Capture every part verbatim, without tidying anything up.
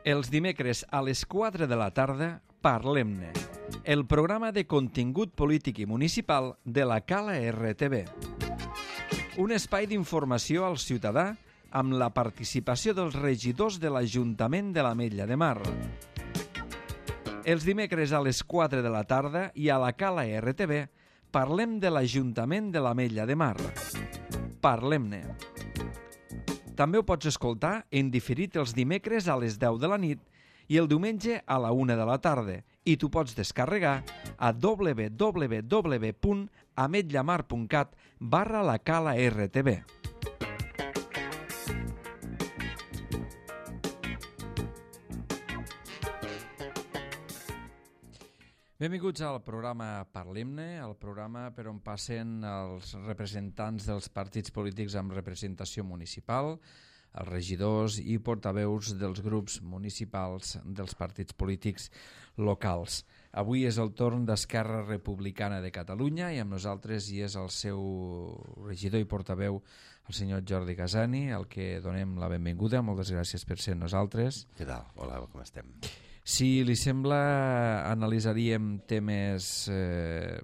Els dimecres a les quatre de la tarda, Parlem-ne, el programa de contingut polític i municipal de la Cala R T V. Un espai d'informació al ciutadà amb la participació dels regidors de l'Ajuntament de l'Ametlla de Mar. Els dimecres a les quatre de la tarda i a la Cala R T V parlem de l'Ajuntament de l'Ametlla de Mar. Parlem-ne. També ho pots escoltar en diferit els dimecres a les deu de la nit i el diumenge a la una de la tarda i t'ho pots descarregar a w w w punt ametllamar punt cat barra la Cala R T V. Benvinguts al programa Parlem-ne, el programa per on passen els representants dels partits polítics amb representació municipal, els regidors i portaveus dels grups municipals dels partits polítics locals. Avui és el torn d'Esquerra Republicana de Catalunya i amb nosaltres hi és el seu regidor i portaveu, el senyor Jordi Casani, al que donem la benvinguda. Moltes gràcies per ser amb nosaltres. Què tal? Hola, com estem? Si li sembla, analitzaríem temes eh,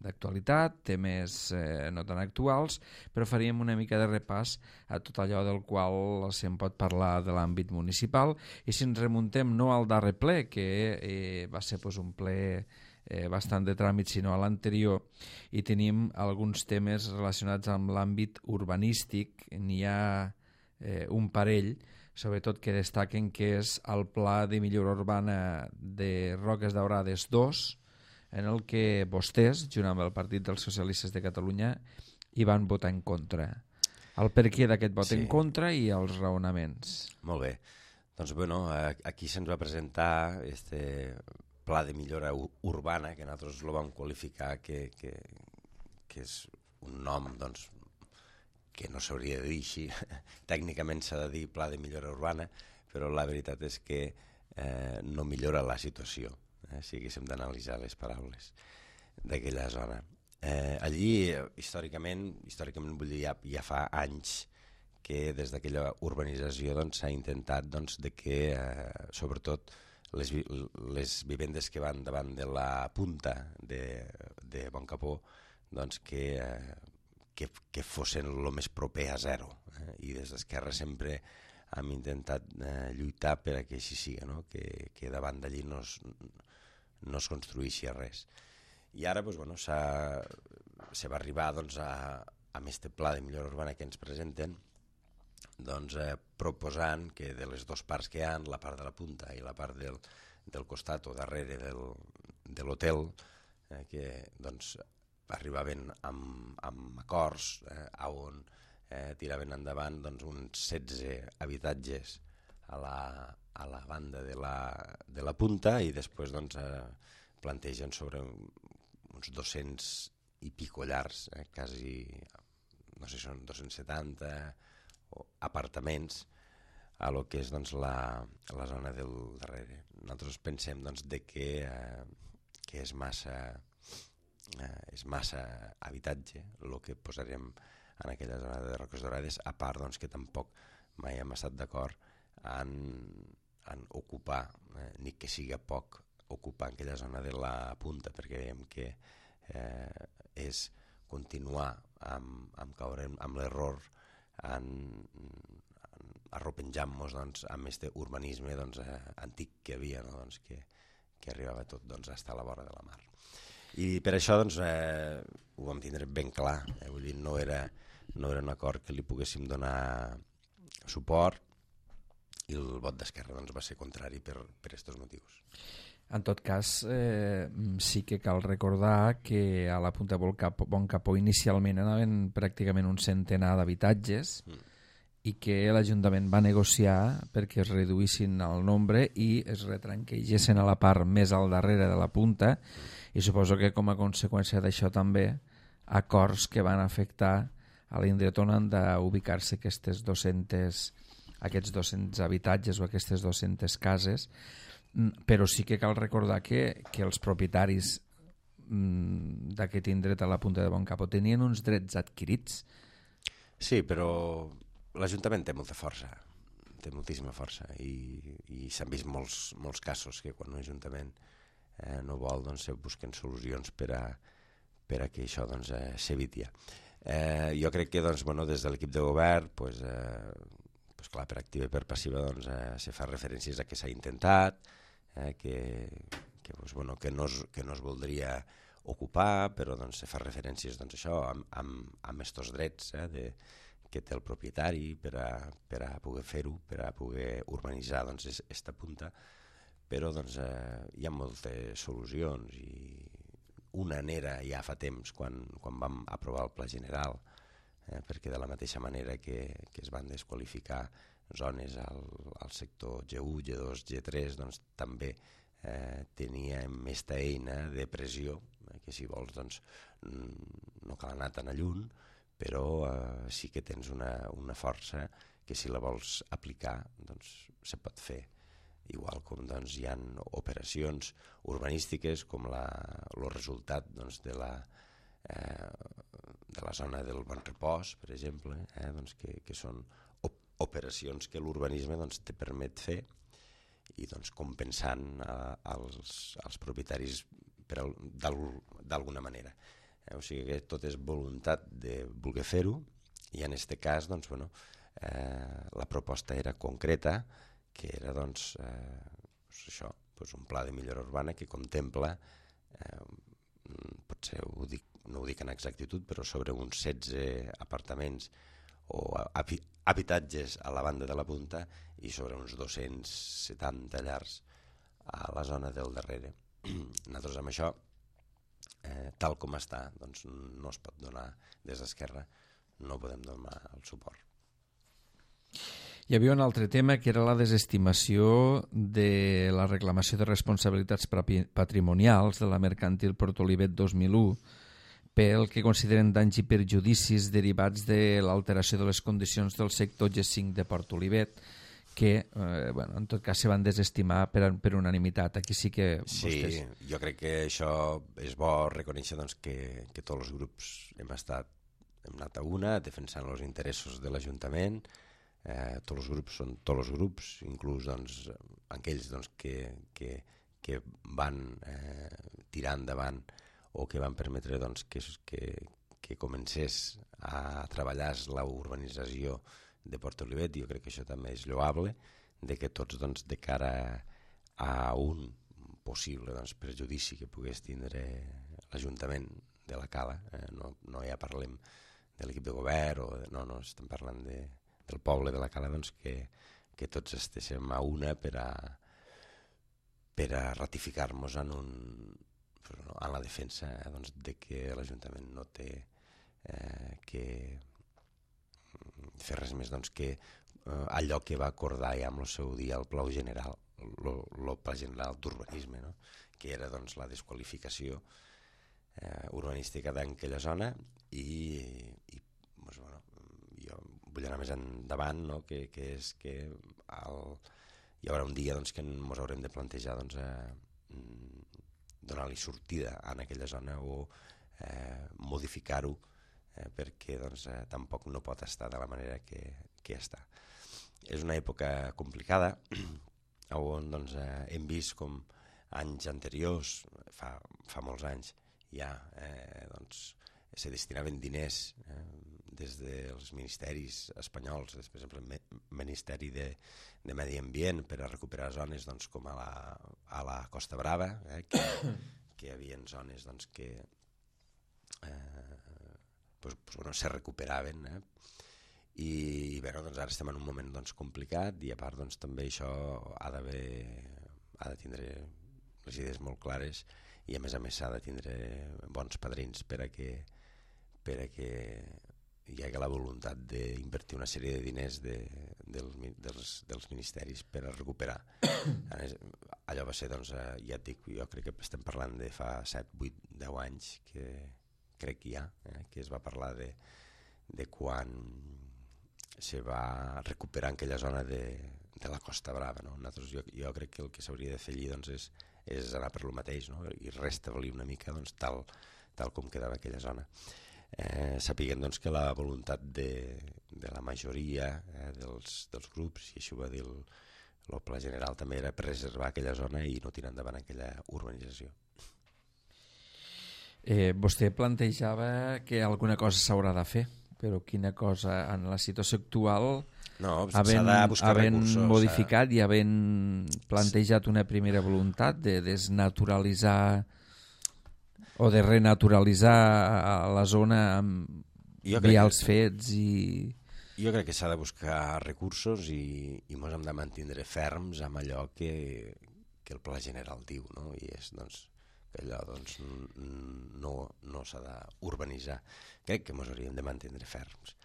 d'actualitat, temes eh, no tan actuals, però faríem una mica de repàs a tot allò del qual se'n pot parlar de l'àmbit municipal. I si ens remuntem no al darrer ple, que eh, va ser pues, un ple eh, bastant de tràmit, sinó a l'anterior, i tenim alguns temes relacionats amb l'àmbit urbanístic. N'hi ha eh, un parell, sobretot que destaquen que és el Pla de Millora Urbana de Roques Daurades dos, en el que vostès, junt amb el Partit dels Socialistes de Catalunya, hi van votar en contra. El per què d'aquest vot sí. en contra i els raonaments. Molt bé. Doncs bueno, aquí se'ns va presentar este Pla de Millora Urbana, que nosaltres lo vam qualificar que, que, que és un nom, doncs, que no s'hauria de dir així, tècnicament s'ha de dir Pla de Millora Urbana, però la veritat és que eh, no millora la situació, eh, si haguéssim d'analitzar les paraules d'aquella zona. Eh, allí, històricament, històricament vull dir, ja, ja fa anys que des d'aquella urbanització doncs, s'ha intentat doncs, de que, eh, sobretot, les, les vivendes que van davant de la punta de, de Boncapó, doncs que... Eh, Que, que fossin el més proper a zero. Eh? I des d'Esquerra sempre hem intentat eh, lluitar per a que així sigui, no? que, que davant d'allí no es, no es construïssi res. I ara doncs, bueno, se va arribar doncs, a, a aquest pla de millora urbana que ens presenten, doncs, eh, proposant que de les dues parts que hi ha, la part de la punta i la part del, del costat o darrere del, de l'hotel, eh, que doncs, arribaven amb, amb acords eh, on eh, tiraven endavant doncs, uns setze habitatges a la, a la banda de la, de la punta i després doncs, eh, plantegen sobre uns dos-cents i pico llars, eh, quasi, no sé si són dos-cents setanta o apartaments a lo que és doncs, la, la zona del darrere. Nosaltres pensem doncs, de que, eh, que és massa... Eh, és massa habitatge el que posarem en aquella zona de Roques Daurades, a part doncs, que tampoc mai hem estat d'acord en, en ocupar, eh, ni que siga poc, ocupar aquella zona de la punta, perquè veiem que eh, és continuar amb, amb caure amb l'error en, en arropenjant-nos doncs, amb aquest urbanisme doncs, eh, antic que havia, no? doncs, que, que arribava tot doncs, fins a la vora de la mar. I per això doncs, eh, ho vam tindre ben clar, eh? Vull dir, no era, no era un acord que li poguéssim donar suport i el vot d'Esquerra doncs, va ser contrari per aquests motius. En tot cas, eh, sí que cal recordar que a la Punta Boncapó inicialment anaven pràcticament un centenar d'habitatges mm. i que l'Ajuntament va negociar perquè es reduïssin el nombre i es retranquegessin a la part més al darrere de la punta mm. i suposo que com a conseqüència d'això també acords que van afectar a l'indret on han d'ubicar-se aquestes dos-centes, aquests dos-cents habitatges o aquestes dos-centes cases, però sí que cal recordar que, que els propietaris d'aquest indret a la punta de Boncapó tenien uns drets adquirits. Sí, però l'Ajuntament té molta força. té moltíssima força i, i s'han vist molts, molts casos que quan un ajuntament eh, no vol, doncs se busquen solucions per a, per a que això doncs, eh, s'eviti. Eh, jo crec que doncs, bueno, des de l'equip de govern pues, eh, pues, clar, per activa i per passiva doncs, eh, se fa referències a que s'ha intentat, eh, que, que, pues, bueno, que, no es, que no es voldria ocupar, però doncs, se fa referències doncs, això, amb, amb, amb estos drets eh, de, que té el propietari per a, per a poder fer-ho, per a poder urbanitzar doncs, esta punta, però doncs, eh, hi ha moltes solucions i una n'era ja fa temps quan, quan vam aprovar el Pla General, eh, perquè de la mateixa manera que, que es van desqualificar zones al, al sector G u, G dos, G tres, doncs també eh, teníem aquesta eina de pressió, eh, que si vols doncs, no cal anar tan a lluny, però eh, sí que tens una, una força que si la vols aplicar doncs se pot fer. Igual com doncs, hi ha operacions urbanístiques com la, el resultat doncs, de, la, eh, de la zona del Bon Repòs, per exemple, eh, doncs, que, que són op operacions que l'urbanisme doncs, te permet fer i doncs, compensant eh, als, als propietaris d'alguna manera. Eh, o sigui que tot és voluntat de voler fer-ho i en aquest cas doncs, bueno, eh, la proposta era concreta, que era doncs, eh, doncs això, doncs un pla de millora urbana que contempla, eh, potser ho dic, no ho dic en exactitud, però sobre uns setze apartaments o habitatges a la banda de la punta i sobre uns dos-cents setanta llars a la zona del darrere. Nosaltres amb això, eh, tal com està, doncs no es pot donar des d'Esquerra, no podem donar el suport. Hi havia un altre tema que era la desestimació de la reclamació de responsabilitats patrimonials de la Mercantil Port Olivet dos mil u pel que consideren danys i perjudicis derivats de l'alteració de les condicions del sector G cinc de Port Olivet, que eh, bueno, en tot cas se van desestimar per, per unanimitat. Aquí sí que vostès... Sí, jo crec que això és bo reconèixer doncs, que, que tots els grups hem estat hem anat a una defensant els interessos de l'Ajuntament. Eh, tots els grups són tots els grups, inclús doncs, aquells doncs, que, que, que van eh, tirar endavant o que van permetre doncs, que, que, que comencés a treballar la urbanització de Port Olivet. Jo crec que això també és lloable, de que tots doncs, de cara a un possible doncs, perjudici que pogués tindre l'Ajuntament de la Cala, eh, no, no ja parlem de l'equip de govern, o de, no, no, estem parlant de del poble de la Cala, doncs, que, que tots estéssim a una per a, per a ratificar-nos en, un, en la defensa eh, doncs, de que l'Ajuntament no té eh, que fer res més doncs, que eh, allò que va acordar ja amb el seu dia el Pla General, el Pla General d'Urbanisme, no? Que era doncs, la desqualificació eh, urbanística d'aquella zona i, i doncs, bueno, jo vull anar més endavant, no? que, que és que el, hi haurà un dia doncs, que ens haurem de plantejar doncs, eh, donar-li sortida en aquella zona o eh, modificar-ho eh, perquè doncs, eh, tampoc no pot estar de la manera que, que està. És una època complicada on doncs, eh, hem vist com anys anteriors, fa, fa molts anys ja, eh, doncs, se destinaven diners eh, des dels ministeris espanyols, per exemple el Ministeri de, de Medi Ambient, per a recuperar zones doncs, com a la, a la Costa Brava, eh, que, que hi havia zones doncs, que eh, pues, pues, bueno, se recuperaven. Eh? I, i bé, doncs, ara estem en un moment doncs, complicat i a part doncs, també això ha d'haver ha de tindre les idees molt clares i a més a més s'ha de tindre bons padrins per a que, per a que hi ha la voluntat d'invertir una sèrie de diners de, del, dels, dels ministeris per a recuperar. Allò va ser, doncs, ja et dic, jo crec que estem parlant de fa set, vuit, deu anys que crec que hi ha, eh, que es va parlar de, de quan se va recuperar en aquella zona de, de la Costa Brava. No? Nosaltres, jo, jo crec que el que s'hauria de fer allí doncs, és, és anar per lo mateix, no? I restablir una mica doncs, tal, tal com quedava aquella zona. Eh, sapiguem doncs, que la voluntat de, de la majoria eh, dels, dels grups, i això va dir el, el pla general també era preservar aquella zona i no tirar endavant aquella urbanització. Eh, vostè plantejava que alguna cosa s'haurà de fer, però quina cosa en la situació actual, no, havent, de buscar havent recursos, modificat i havent plantejat una primera voluntat de desnaturalitzar o de renaturalitzar la zona amb vials que... fets i... Jo crec que s'ha de buscar recursos i, i ens hem de mantenir ferms amb allò que, que el pla general diu, no? I és doncs, que allò doncs, no, no s'ha d'urbanitzar. Crec que ens hauríem de mantenir ferms.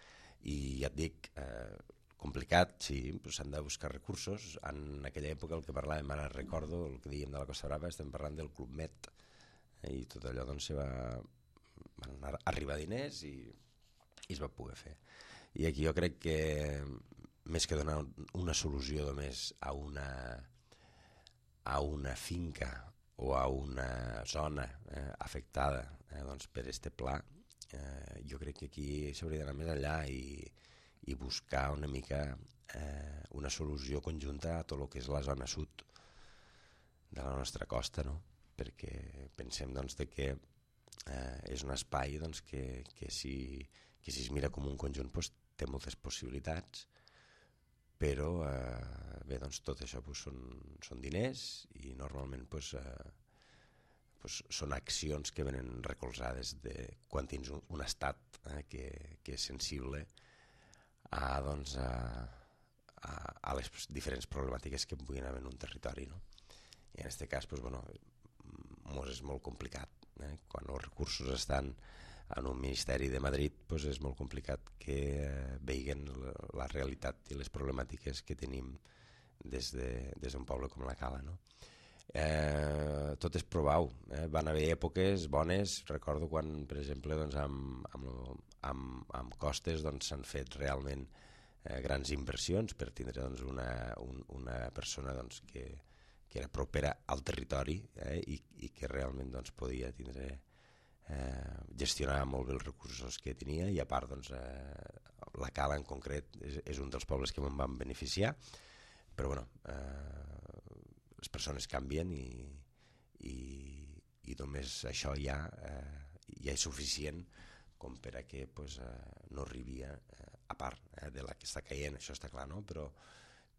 I ja et dic, eh, complicat, sí, però s'han de buscar recursos. En aquella època el que parlàvem, ara recordo, el que dèiem de la Costa Brava, estem parlant del Club Met, eh, i tot allò doncs, se va, van arribar diners i, i es va poder fer. I aquí jo crec que més que donar una solució només a una, a una finca o a una zona eh, afectada eh, doncs per este pla, eh, jo crec que aquí s'hauria d'anar més enllà i, i buscar una mica eh, una solució conjunta a tot el que és la zona sud de la nostra costa, no? Perquè pensem doncs, de que eh, és un espai doncs, que, que, si, que si es mira com un conjunt doncs, té moltes possibilitats, però eh, bé, doncs, tot això doncs, són, són diners i normalment doncs, eh, doncs, són accions que venen recolzades de quan tens un, un estat eh, que, que és sensible a, doncs, a, a, a les diferents problemàtiques que puguin haver en un territori, no? I en aquest cas doncs, bueno, mos és molt complicat. Eh? Quan els recursos estan en un ministeri de Madrid doncs és molt complicat que eh, veiguen la, la realitat i les problemàtiques que tenim des d'un de, poble com la Cala, no? Eh, tot és provau, eh? Van haver èpoques bones, recordo quan per exemple doncs, amb, amb, amb, amb costes doncs, s'han fet realment eh, grans inversions per tindre doncs, una, un, una persona doncs, que, que era propera al territori eh? I, i que realment doncs, podia tindre Eh, gestionar molt bé els recursos que tenia i a part doncs, eh, la Cala en concret és, és un dels pobles que me'n van beneficiar, però bueno, eh, les persones canvien i, i, i només això ja, eh, ja és suficient com per a que pues, eh, no arribi a, a part eh, de la que està caient, això està clar, no? Però,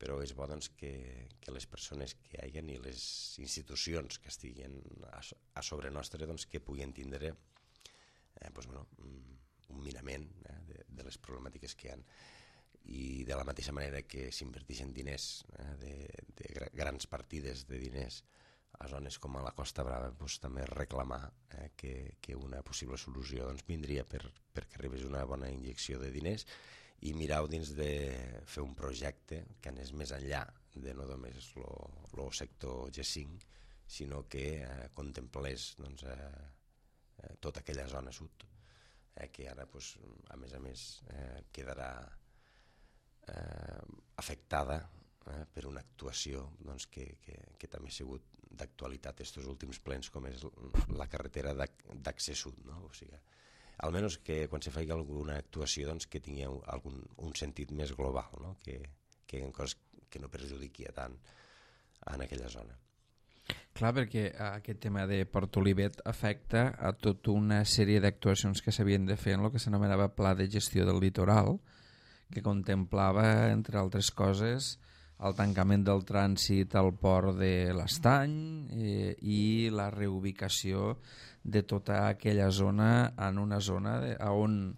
però és bo doncs, que, que les persones que hi hagin i les institucions que estiguin a, a sobre nostre doncs, que puguin tindre eh, doncs, bueno, un mirament eh, de, de les problemàtiques que hi ha. I de la mateixa manera que s'inverteixen diners, eh, de, de grans partides de diners a zones com a la Costa Brava, doncs, també reclamar eh, que, que una possible solució doncs, vindria per, perquè arribés una bona injecció de diners i mirar dins de fer un projecte que anés més enllà de no només el sector G cinc, sinó que eh, contemplés doncs, eh, eh, tota aquella zona sud, eh, que ara, pues, a més a més, eh, quedarà eh, afectada eh, per una actuació doncs, que, que, que també ha sigut d'actualitat estos últims plens, com és la carretera d'accés sud, no? O sigui, almenys que quan se faci alguna actuació doncs, que tingui algun, un sentit més global, no? que, que, cos, que no perjudiqui tant en aquella zona. Clar, perquè aquest tema de Port Olivet afecta a tota una sèrie d'actuacions que s'havien de fer en el que s'anomenava Pla de Gestió del Litoral, que contemplava, entre altres coses, el tancament del trànsit al port de l'Estany eh, i la reubicació de tota aquella zona en una zona de, on,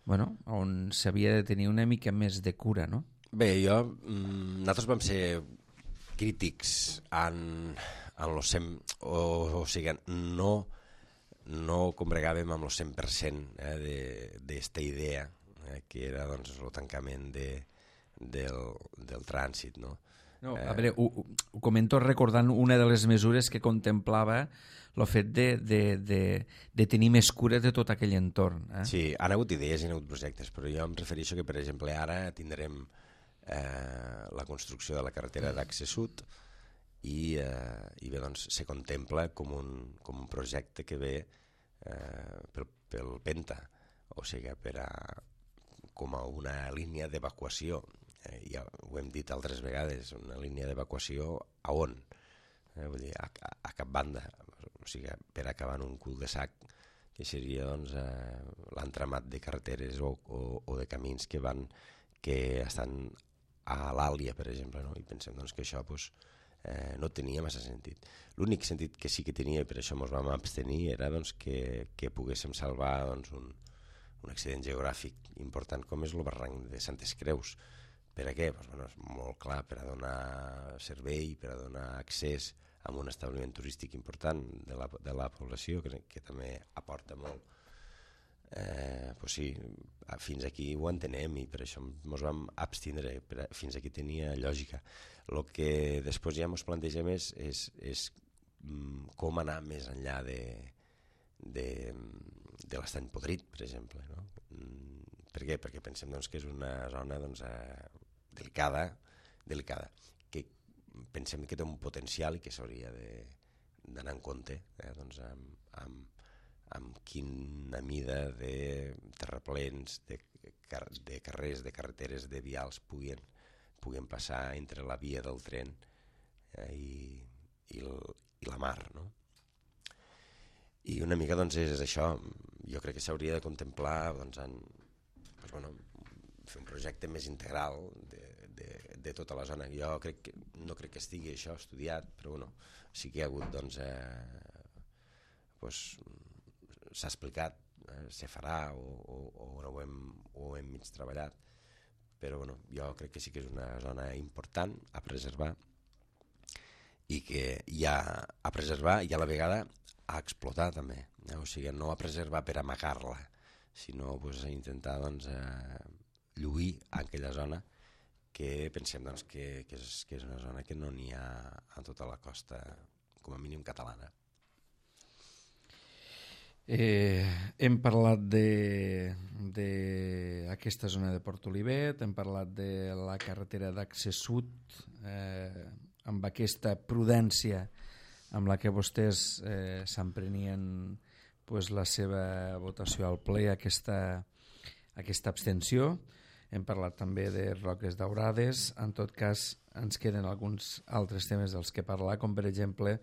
bueno, on s'havia de tenir una mica més de cura, no? Bé, jo, nosaltres vam ser crítics en, en lo cent, o, o sigui, no, no combregàvem amb el cent per cent eh, d'esta idea, eh, que era doncs, el tancament de, del, del trànsit, no? No, a veure, ho, ho comento recordant una de les mesures que contemplava el fet de, de, de, de tenir més cura de tot aquell entorn. Eh? Sí, han hagut idees i han hagut projectes, però jo em refereixo que, per exemple, ara tindrem eh, la construcció de la carretera d'accés sud i, eh, i bé, doncs, se contempla com un, com un projecte que ve eh, pel, pel Penta, o sigui, per a, com a una línia d'evacuació, eh, ja ho hem dit altres vegades, una línia d'evacuació a on? Eh, vull dir, a, a, a cap banda, o sigui, per acabar en un cul de sac, que seria doncs, eh, l'entramat de carreteres o, o, o de camins que van que estan a l'Àlia, per exemple, no? I pensem doncs, que això doncs, eh, no tenia massa sentit. L'únic sentit que sí que tenia, i per això ens vam abstenir, era doncs, que, que poguéssim salvar doncs, un, un accident geogràfic important com és el barranc de Santes Creus. Per a què? Pues, bueno, és molt clar, per a donar servei, per a donar accés a un establiment turístic important de la, de la població, que, que també aporta molt. Eh, pues sí, fins aquí ho entenem i per això ens vam abstindre, per a, fins aquí tenia lògica. El que després ja ens plantegem és, és, és mm, com anar més enllà de, de, de l'Estany Podrit, per exemple. No? Mm, per què? Perquè pensem doncs, que és una zona doncs, eh, delicada, delicada, que pensem que té un potencial i que s'hauria d'anar en compte eh, doncs, amb, amb, amb quina mida de terraplens, de, car de carrers, de carreteres, de vials puguin, puguin passar entre la via del tren eh, i, i, el, i la mar. No? I una mica doncs, és això, jo crec que s'hauria de contemplar doncs, en, doncs, bueno, fer un projecte més integral de, de, de tota la zona. Jo crec que, no crec que estigui això estudiat, però bueno, sí que hi ha hagut, doncs, eh, doncs s'ha explicat, eh, se farà o, o, o ho, hem, ho hem mig treballat, però bueno, jo crec que sí que és una zona important a preservar i que hi ha a preservar i a la vegada a explotar també, eh? O sigui, no a preservar per amagar-la, sinó pues, a intentar doncs, eh, lluir a aquella zona que pensem doncs, que, que, és, que és una zona que no n'hi ha a tota la costa, com a mínim catalana. Eh, hem parlat d'aquesta zona de Port Olivet, hem parlat de la carretera d'accés sud, eh, amb aquesta prudència amb la que vostès eh, s'emprenien pues, la seva votació al ple, aquesta, aquesta abstenció. Hem parlat també de Roques Daurades. En tot cas, ens queden alguns altres temes dels que parlar, com per exemple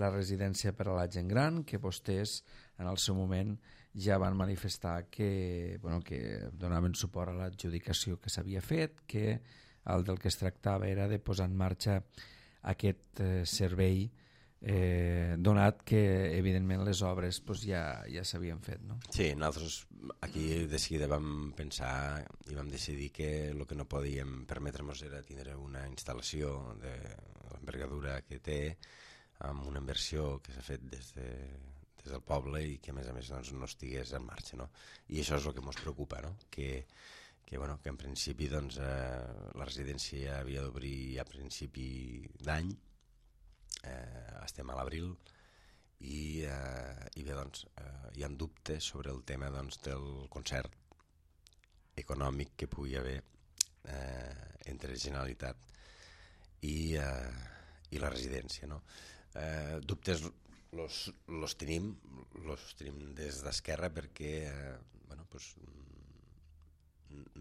la residència per a la gent gran, que vostès en el seu moment ja van manifestar que, bueno, que donaven suport a l'adjudicació que s'havia fet, que el del que es tractava era de posar en marxa aquest eh, servei, eh, donat que evidentment les obres pues, ja, ja s'havien fet. No? Sí, nosaltres aquí de seguida vam pensar i vam decidir que el que no podíem permetre'ns era tindre una instal·lació de l'envergadura que té, amb una inversió que s'ha fet des, de, des del poble i que a més a més doncs, no estigués en marxa. No? I això és el que ens preocupa, no? que, que, bueno, que en principi doncs, eh, la residència havia d'obrir a principi d'any, eh, estem a l'abril, i, eh, i bé, doncs, eh, hi ha dubtes sobre el tema doncs, del concert econòmic que pugui haver eh, entre Generalitat i, eh, i la residència. No? Eh, dubtes los, los tenim, los tenim des d'Esquerra perquè eh, bueno, pues,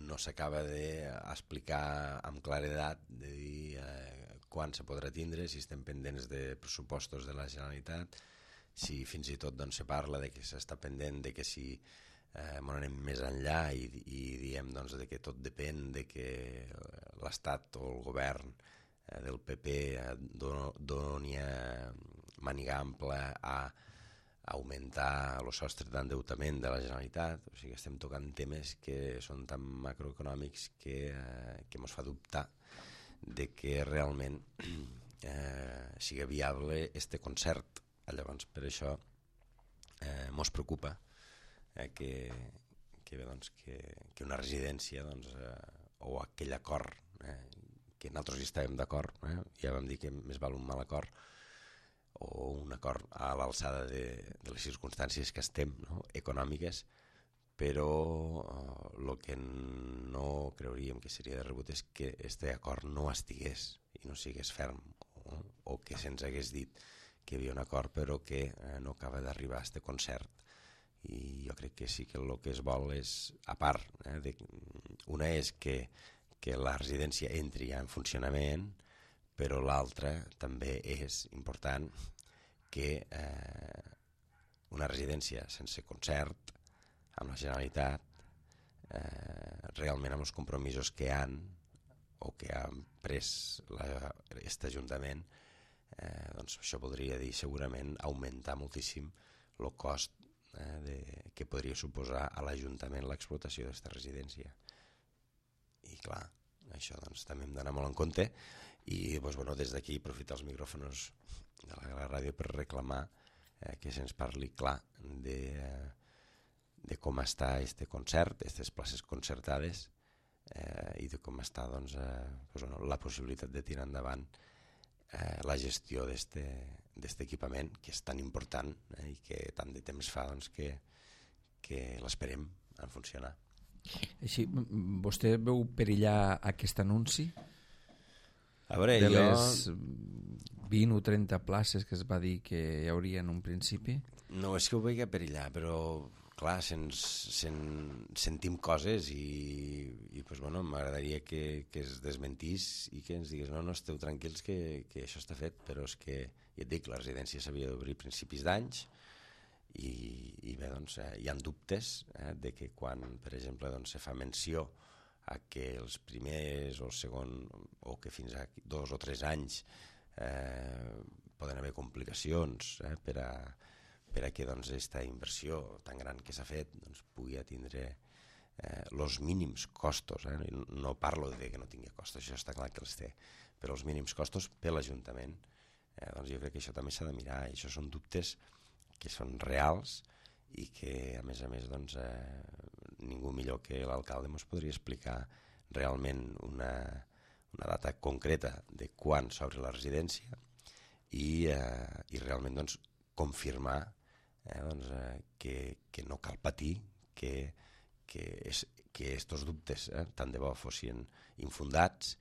no s'acaba d'explicar amb claredat de dir eh, quan se podrà tindre, si estem pendents de pressupostos de la Generalitat, si fins i tot doncs, se parla de que s'està pendent de que si eh, anem més enllà i, i diem doncs, de que tot depèn de que l'Estat o el govern eh, del P P eh, doni eh, màniga ampla a augmentar el sostre d'endeutament de la Generalitat. O sigui, estem tocant temes que són tan macroeconòmics que, eh, que ens fa dubtar de que realment eh, sigui viable este concert. Llavors, per això eh, ens preocupa eh, que, que, bé, doncs, que, que una residència doncs, eh, o aquell acord eh, que nosaltres hi estàvem d'acord, eh, ja vam dir que més val un mal acord o un acord a l'alçada de, de les circumstàncies que estem, no? econòmiques, però el eh, que no creuríem que seria de rebut és que este acord no estigués i no sigués ferm, o, o que se'ns hagués dit que hi havia un acord però que eh, no acaba d'arribar a este concert. I jo crec que sí que el que es vol és, a part, eh, de, una és que, que la residència entri ja en funcionament, però l'altra també és important que eh, una residència sense concert amb la Generalitat, eh, realment amb els compromisos que han o que ha pres aquest Ajuntament, eh, doncs això podria dir segurament augmentar moltíssim el cost eh, de, que podria suposar a l'Ajuntament l'explotació d'aquesta residència. I clar, això doncs, també hem d'anar molt en compte i doncs, bueno, des d'aquí aprofitar els micròfons de la, la ràdio per reclamar eh, que se'ns parli clar de, eh, de com està este concert, aquestes places concertades eh, i de com està doncs, eh, doncs, bueno, la possibilitat de tirar endavant eh, la gestió d'aquest equipament que és tan important eh, i que tant de temps fa doncs, que, que l'esperem en funcionar. Així, vostè veu perillar aquest anunci? A veure, de jo... les vint o trenta places que es va dir que hi hauria en un principi? No és que ho vegi perillar, però clar, sens, sen, sentim coses i, i pues, bueno, m'agradaria que, que es desmentís i que ens digués no, no, esteu tranquils que, que això està fet, però és que, ja et dic, la residència s'havia d'obrir a principis d'anys i, i bé, doncs, eh, hi ha dubtes eh, de que quan, per exemple, doncs, se fa menció a que els primers o el segon o que fins a dos o tres anys eh, poden haver complicacions eh, per a per a que doncs, aquesta inversió tan gran que s'ha fet doncs, pugui atindre els eh, mínims costos. Eh? No parlo de que no tingui costos, això està clar que els té, però els mínims costos per l'Ajuntament. Eh, doncs jo crec que això també s'ha de mirar, i això són dubtes que són reals i que, a més a més, doncs, eh, ningú millor que l'alcalde ens podria explicar realment una, una data concreta de quan s'obre la residència i, eh, i realment doncs, confirmar Eh, doncs, eh, que, que no cal patir, que, que, és, que estos dubtes eh, tant de bo fossin infundats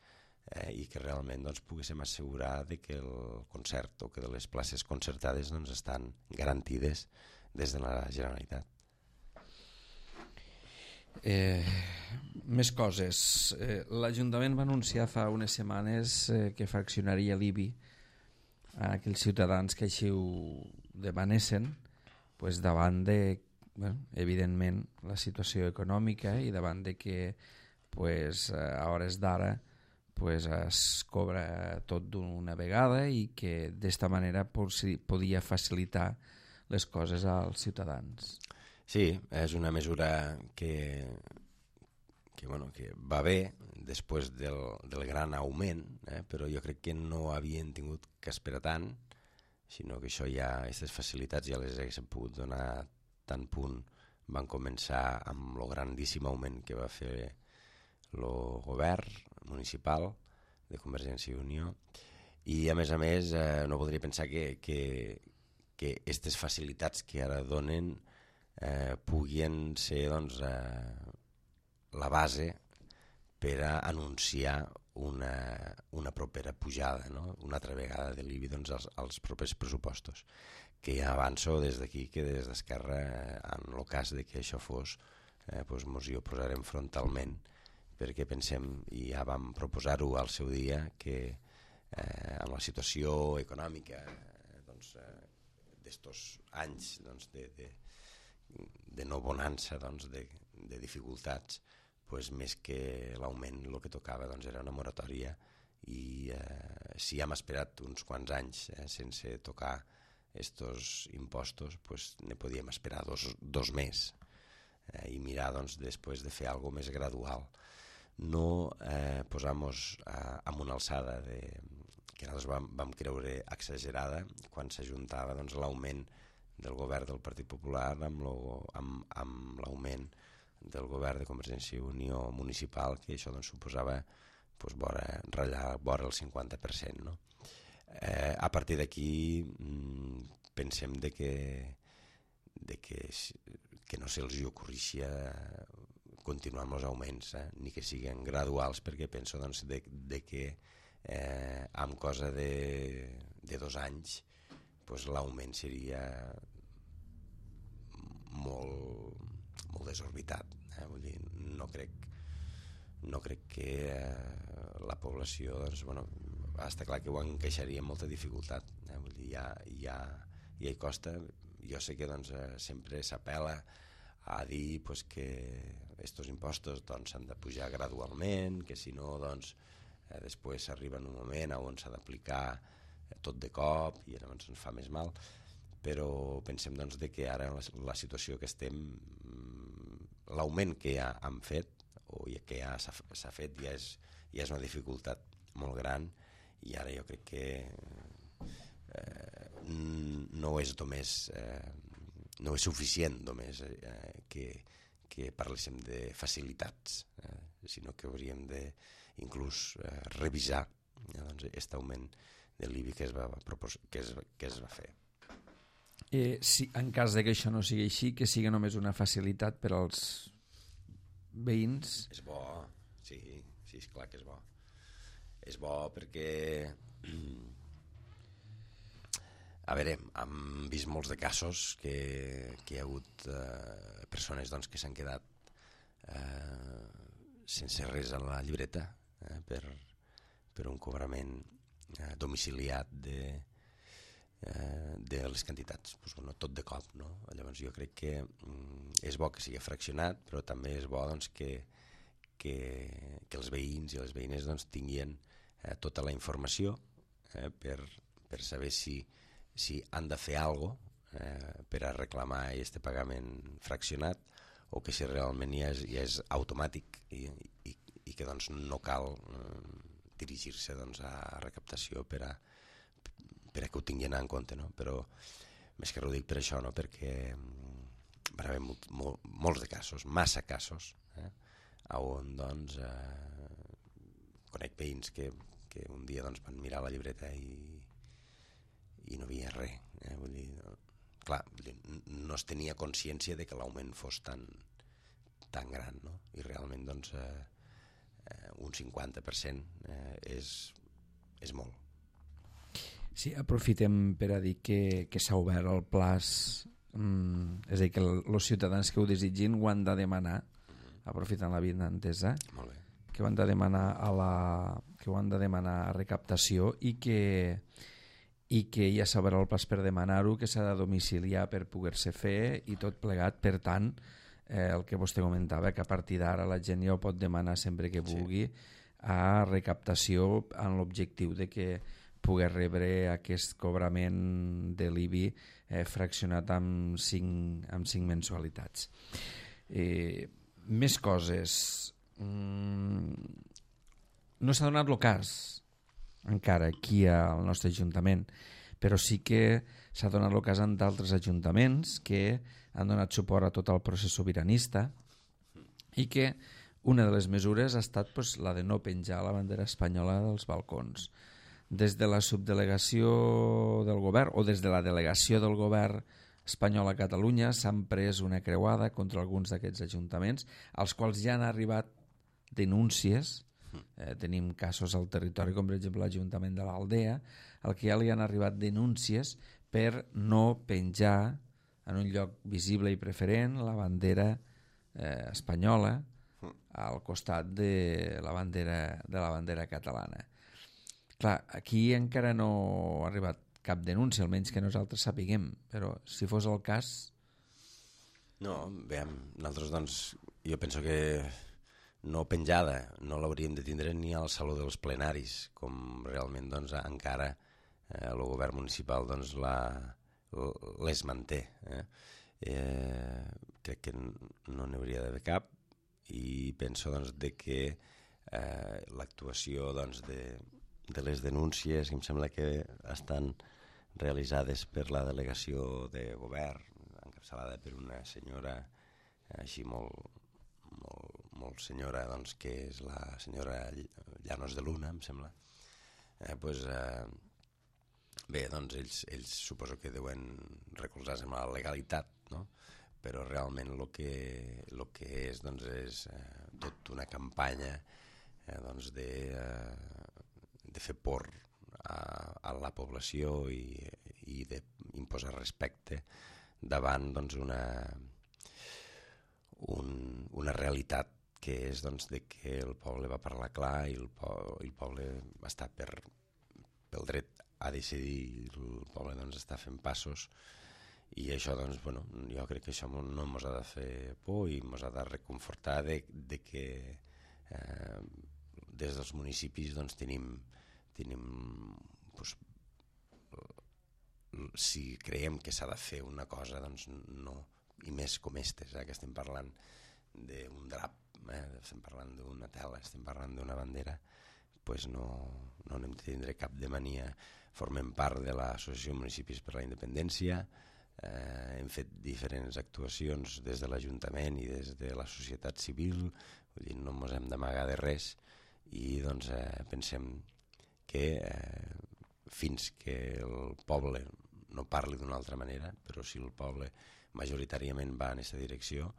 eh, i que realment doncs, poguéssim assegurar de que el concert o que de les places concertades doncs, estan garantides des de la Generalitat. Eh, més coses. Eh, L'Ajuntament va anunciar fa unes setmanes eh, que fraccionaria l'I B I a aquells ciutadans que així ho demanessin, pues davant de, bueno, evidentment, la situació econòmica i davant de que pues, a hores d'ara pues, es cobra tot d'una vegada i que d'esta manera podia facilitar les coses als ciutadans. Sí, és una mesura que, que, bueno, que va bé després del, del gran augment, eh? Però jo crec que no havien tingut que esperar tant, sinó que això ja, aquestes facilitats ja les haguéssim pogut donar tant punt van començar amb el grandíssim augment que va fer el govern municipal de Convergència i Unió i a més a més eh, no voldria pensar que que, que aquestes facilitats que ara donen eh, puguin ser doncs, eh, la base per a anunciar una, una propera pujada, no? Una altra vegada de l'I B I doncs, als, als propers pressupostos, que ja avanço des d'aquí que des d'Esquerra, eh, en el cas de que això fos, eh, doncs mos hi oposarem frontalment, perquè pensem, i ja vam proposar-ho al seu dia, que eh, amb la situació econòmica eh, doncs, eh, d'estos anys doncs, de, de, de no bonança, doncs, de, de dificultats, pues, més que l'augment el que tocava doncs, era una moratòria i eh, si hem esperat uns quants anys eh, sense tocar estos impostos, pues, ne podíem esperar dos, dos més eh, i mirar doncs, després de fer alguna més gradual. No eh, posar-nos eh, en una alçada de, que nosaltres vam, vam creure exagerada quan s'ajuntava doncs, l'augment del govern del Partit Popular amb, lo, amb, amb l'augment del govern de Convergència i Unió municipal, que això doncs, suposava pues, vora, ratllar vora el cinquanta per cent. No? Eh, a partir d'aquí mmm, pensem de que, de que, que no se'ls ocorria continuar amb els augments, eh? Ni que siguin graduals, perquè penso doncs, de, de que eh, amb cosa de, de dos anys pues, l'augment seria molt, molt desorbitat. Eh? Vull dir, no crec no crec que eh, la població, doncs, bueno, està clar que ho encaixaria amb molta dificultat. Eh? Vull dir, ja, ja, ja hi costa. Jo sé que doncs, eh, sempre s'apel·la a dir pues, que estos impostos doncs, s'han de pujar gradualment, que si no, doncs, eh, després s'arriba en un moment on s'ha d'aplicar eh, tot de cop i llavors ens fa més mal. Però pensem doncs, de que ara la, la situació que estem, l'augment que ja han fet o que ja s'ha fet ja és, ja és una dificultat molt gran, i ara jo crec que eh, no és només eh, no és suficient només eh, que, que parléssim de facilitats, eh, sinó que hauríem de inclús eh, revisar eh, doncs, aquest augment de l'I B I que es va, propos- que es, que es va fer. Eh, si, en cas de que això no sigui així, que sigui només una facilitat per als veïns. És bo, sí, sí, és clar que és bo. És bo perquè, a veure, hem vist molts de casos que, que hi ha hagut eh, persones doncs, que s'han quedat eh, sense res a la llibreta eh, per, per un cobrament eh, domiciliat de, eh, de les quantitats, pues, bueno, tot de cop, no? Llavors jo crec que mm, és bo que sigui fraccionat, però també és bo doncs, que, que, que els veïns i les veïnes doncs, tinguin eh, tota la informació eh, per, per saber si, si han de fer alguna cosa eh, per a reclamar aquest pagament fraccionat, o que si realment ja és, ja és automàtic i, i, i que doncs, no cal eh, dirigir-se doncs, a recaptació per a, per a que ho tinguin en compte, no? Però més que ho dic per això, no? Perquè va haver molt, molt, molts de casos, massa casos, eh? on doncs, eh, conec veïns que, que un dia doncs, van mirar la llibreta i, i no havia res. Eh? Vull dir, no, clar, no es tenia consciència de que l'augment fos tan, tan gran, no? I realment doncs, eh, eh, un cinquanta per cent eh, és, és molt. Sí, aprofitem per a dir que, que s'ha obert el plaç, mm, és a dir, que els ciutadans que ho desitgin ho han de demanar, aprofitant la vida entesa, Molt bé. que ho han de demanar a la, que ho han de demanar a recaptació i que, i que ja s'ha obert el plaç per demanar-ho, que s'ha de domiciliar per poder-se fer i tot plegat. Per tant, eh, el que vostè comentava, que a partir d'ara la gent ja ho pot demanar sempre que vulgui a recaptació, amb l'objectiu de que poder rebre aquest cobrament de l'I B I eh, fraccionat amb cinc, amb cinc mensualitats. Eh, més coses. Mm, no s'ha donat el cas encara aquí al nostre ajuntament, però sí que s'ha donat el cas en d'altres ajuntaments que han donat suport a tot el procés sobiranista i que una de les mesures ha estat pues, la de no penjar la bandera espanyola dels balcons. Des de la subdelegació del govern o des de la delegació del govern espanyol a Catalunya s'han pres una creuada contra alguns d'aquests ajuntaments, als quals ja han arribat denúncies. Eh, tenim casos al territori, com per exemple l'Ajuntament de l'Aldea, al que ja li han arribat denúncies per no penjar en un lloc visible i preferent la bandera eh, espanyola al costat de la bandera, de la bandera catalana. Clar, aquí encara no ha arribat cap denúncia, almenys que nosaltres sapiguem, però si fos el cas... No, veiem, nosaltres doncs, jo penso que no penjada, no l'hauríem de tindre ni al Saló dels Plenaris, com realment doncs, encara eh, el govern municipal doncs, la, les manté. Eh? Eh, crec que no n'hi hauria d'haver cap, i penso doncs, de que eh, l'actuació doncs, de, de les denúncies, que em sembla que estan realitzades per la delegació de govern, encapçalada per una senyora així molt, molt, molt senyora, doncs, que és la senyora Llanos de Luna, em sembla. Eh, pues, eh, bé, doncs ells, ells suposo que deuen recolzar-se amb la legalitat, no? Però realment el que, lo que és, doncs, és eh, tot una campanya eh, doncs de, eh, de fer por a, a la població i, i d'imposar respecte davant doncs, una, un, una realitat que és doncs, de que el poble va parlar clar i el, po el poble està per, pel dret a decidir, el poble doncs, està fent passos, i això doncs, bueno, jo crec que això no ens ha de fer por i ens ha de reconfortar de, de que eh, des dels municipis doncs, tenim, tenim doncs, si creiem que s'ha de fer una cosa, doncs no, i més com estes, eh, que estem parlant d'un drap, eh, estem parlant d'una tela, estem parlant d'una bandera, pues no, no n'hem de tindre cap de mania. Formem part de l'Associació de Municipis per la Independència, eh, hem fet diferents actuacions des de l'Ajuntament i des de la societat civil, vull dir, no ens hem d'amagar de res, i doncs eh, pensem que eh, fins que el poble no parli d'una altra manera, però si el poble majoritàriament va en aquesta direcció,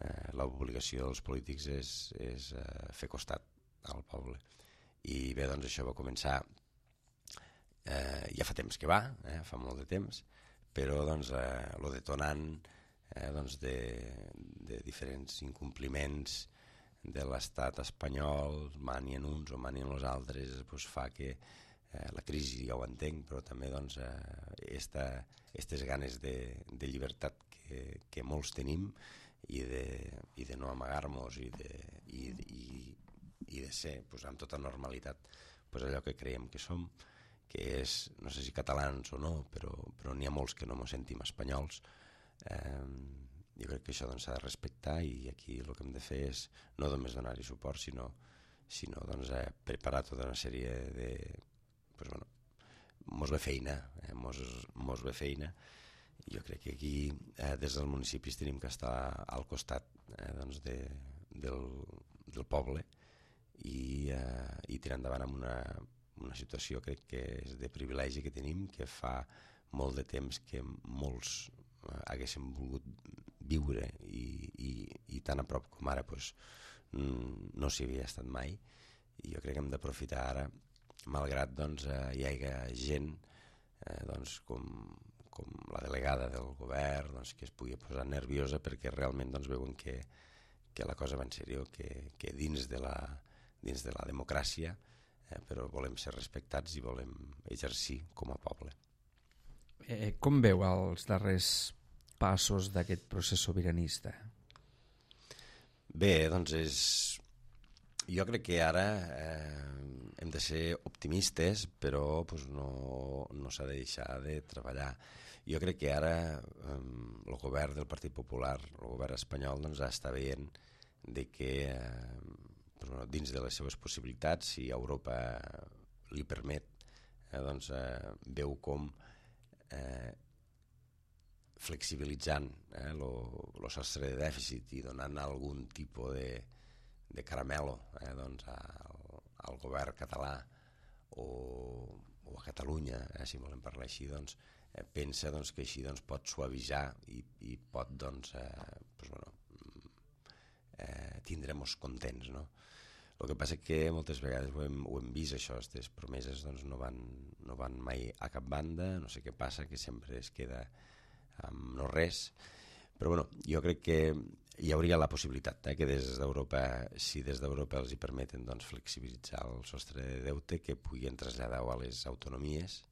eh, l'obligació dels polítics és, és eh, fer costat al poble. I bé, doncs això va començar, eh, ja fa temps que va, eh, fa molt de temps, però doncs eh, lo detonant eh, doncs de, de diferents incompliments de l'estat espanyol, manien uns o manien els altres, doncs fa que eh, la crisi, ja ho entenc, però també doncs aquestes eh, ganes de, de llibertat que, que molts tenim i de, i de no amagar-nos i de, i, i, i de ser pues, amb tota normalitat pues, allò que creiem que som, que és, no sé si catalans o no, però, però n'hi ha molts que no ens sentim espanyols. Eh, jo crec que això s'ha doncs, de respectar, i aquí el que hem de fer és no només donar-hi suport, sinó, sinó doncs, eh, preparar tota una sèrie de... Pues, bueno, mos ve feina, eh, mos, mos ve feina. Jo crec que aquí, eh, des dels municipis, tenim que estar al costat eh, doncs de, del, del poble i, eh, i tirar endavant amb una, una situació, crec que és de privilegi que tenim, que fa molt de temps que molts eh, haguéssim volgut viure i, i, i tan a prop com ara pues, no s'hi havia estat mai, i jo crec que hem d'aprofitar ara, malgrat doncs, eh, hi hagi gent eh, doncs, com, com la delegada del govern doncs, que es pugui posar nerviosa perquè realment doncs, veuen que, que la cosa va en sèrio, que, que dins, de la, dins de la democràcia eh, però volem ser respectats i volem exercir com a poble. Eh, com veu els darrers passos d'aquest procés sobiranista? Bé, doncs és... Jo crec que ara eh, hem de ser optimistes, però pues, no, no s'ha de deixar de treballar. Jo crec que ara eh, el govern del Partit Popular, el govern espanyol, doncs, està veient de que eh, pues, bueno, dins de les seves possibilitats, si Europa li permet, eh, doncs, eh, veu com eh, flexibilitzant eh, el sostre de dèficit i donant algun tipus de de caramelo eh, doncs, al, al govern català o, o a Catalunya, eh, si volem parlar així, doncs, eh, pensa doncs, que així doncs, pot suavitzar i, i pot doncs, eh, pues, bueno, eh, tindre-nos contents. No? El que passa és que moltes vegades ho hem, ho hem vist, això, aquestes promeses doncs, no, van, no van mai a cap banda, no sé què passa, que sempre es queda amb no res. Però bueno, jo crec que hi hauria la possibilitat eh, que des d'Europa, si des d'Europa els hi permeten doncs, flexibilitzar el sostre de deute, que puguin traslladar a les autonomies,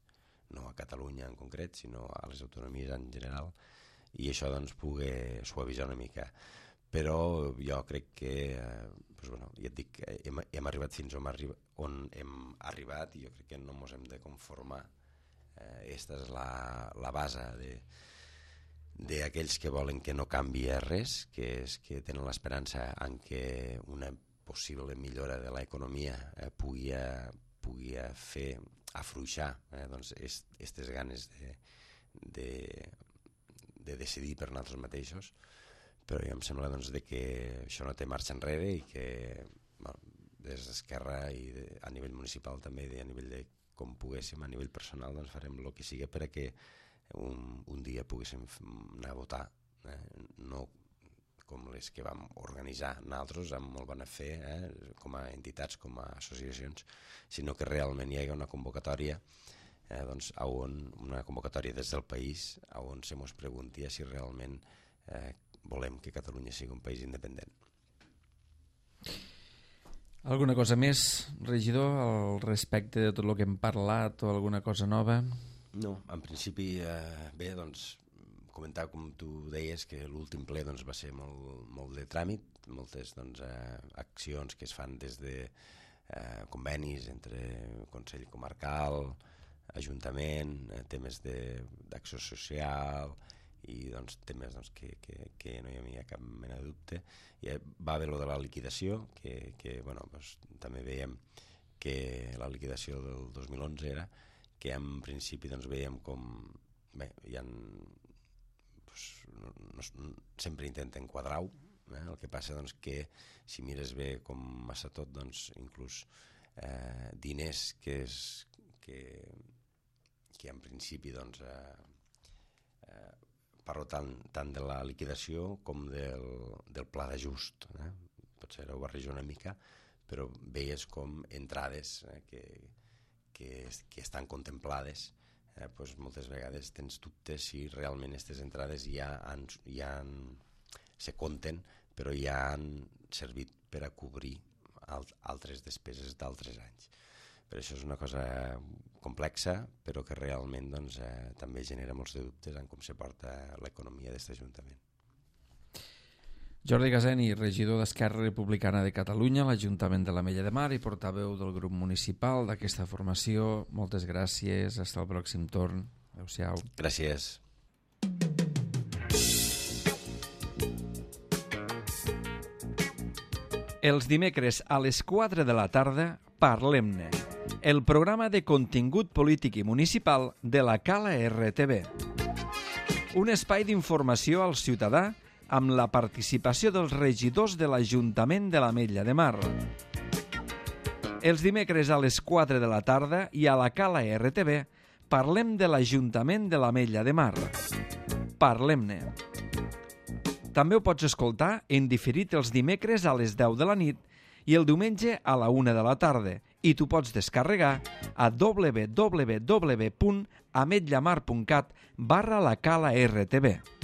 no a Catalunya en concret, sinó a les autonomies en general, i això doncs, pugui suavitzar una mica. Però jo crec que, eh, doncs, bueno, ja et dic, hem, hem arribat fins on, arriba, on hem arribat, i jo crec que no ens hem de conformar. Eh, esta és la, la base de d'aquells que volen que no canvi res, que és que tenen l'esperança en que una possible millora de l'economia eh, pugui, pugui fer afluixar eh, doncs, aquestes ganes de, de, de decidir per nosaltres mateixos, però jo em sembla doncs, de que això no té marxa enrere i que bueno, des d'Esquerra i de, a nivell municipal també i a nivell de com poguéssim, a nivell personal doncs, farem el que sigui per a que Un, un dia poguéssim anar a votar, eh? No com les que vam organitzar nosaltres amb molt bona fe, eh? Com a entitats, com a associacions, sinó que realment hi hagi una convocatòria, eh? doncs, on, una convocatòria des del país on se mos pregunti si realment eh, volem que Catalunya sigui un país independent. Alguna cosa més, regidor, al respecte de tot el que hem parlat o alguna cosa nova? No, en principi, eh, bé, doncs, comentar, com tu deies, que l'últim ple doncs, va ser molt, molt de tràmit, moltes doncs, eh, accions que es fan des de eh, convenis entre Consell Comarcal, Ajuntament, eh, temes d'acció social i doncs, temes doncs, que, que, que no hi havia cap mena de dubte. I va haver lo de la liquidació, que, que bueno, doncs, també veiem que la liquidació del dos mil onze era que en principi doncs, veiem com bé, hi ha, doncs, no, no, sempre intenten quadrar-ho, eh? El que passa doncs, que si mires bé com massa tot, doncs, inclús eh, diners que, és, que, que en principi doncs, eh, eh, parlo tant, tant de la liquidació com del, del pla d'ajust. Eh? Potser ho barrejo una mica, però veies com entrades eh, que, que, que estan contemplades, eh, doncs moltes vegades tens dubtes si realment aquestes entrades ja, han, ja han, se compten, però ja han servit per a cobrir alt, altres despeses d'altres anys. Per això és una cosa complexa, però que realment doncs, eh, també genera molts de dubtes en com se porta l'economia d'aquest Ajuntament. Jordi Gaseni, regidor d'Esquerra Republicana de Catalunya, l'Ajuntament de l'Ametlla de Mar i portaveu del grup municipal d'aquesta formació. Moltes gràcies, fins al pròxim torn. Adéu-siau. Gràcies. Els dimecres a les quatre de la tarda, Parlem-ne, el programa de contingut polític i municipal de la Cala R T V. Un espai d'informació al ciutadà amb la participació dels regidors de l'Ajuntament de l'Ametlla de Mar. Els dimecres a les quatre de la tarda i a la Cala R T V parlem de l'Ajuntament de l'Ametlla de Mar. Parlem-ne. També ho pots escoltar en diferit els dimecres a les deu de la nit i el diumenge a la una de la tarda, i tu pots descarregar a w w w punt ametllamar punt cat barra la Cala R T V.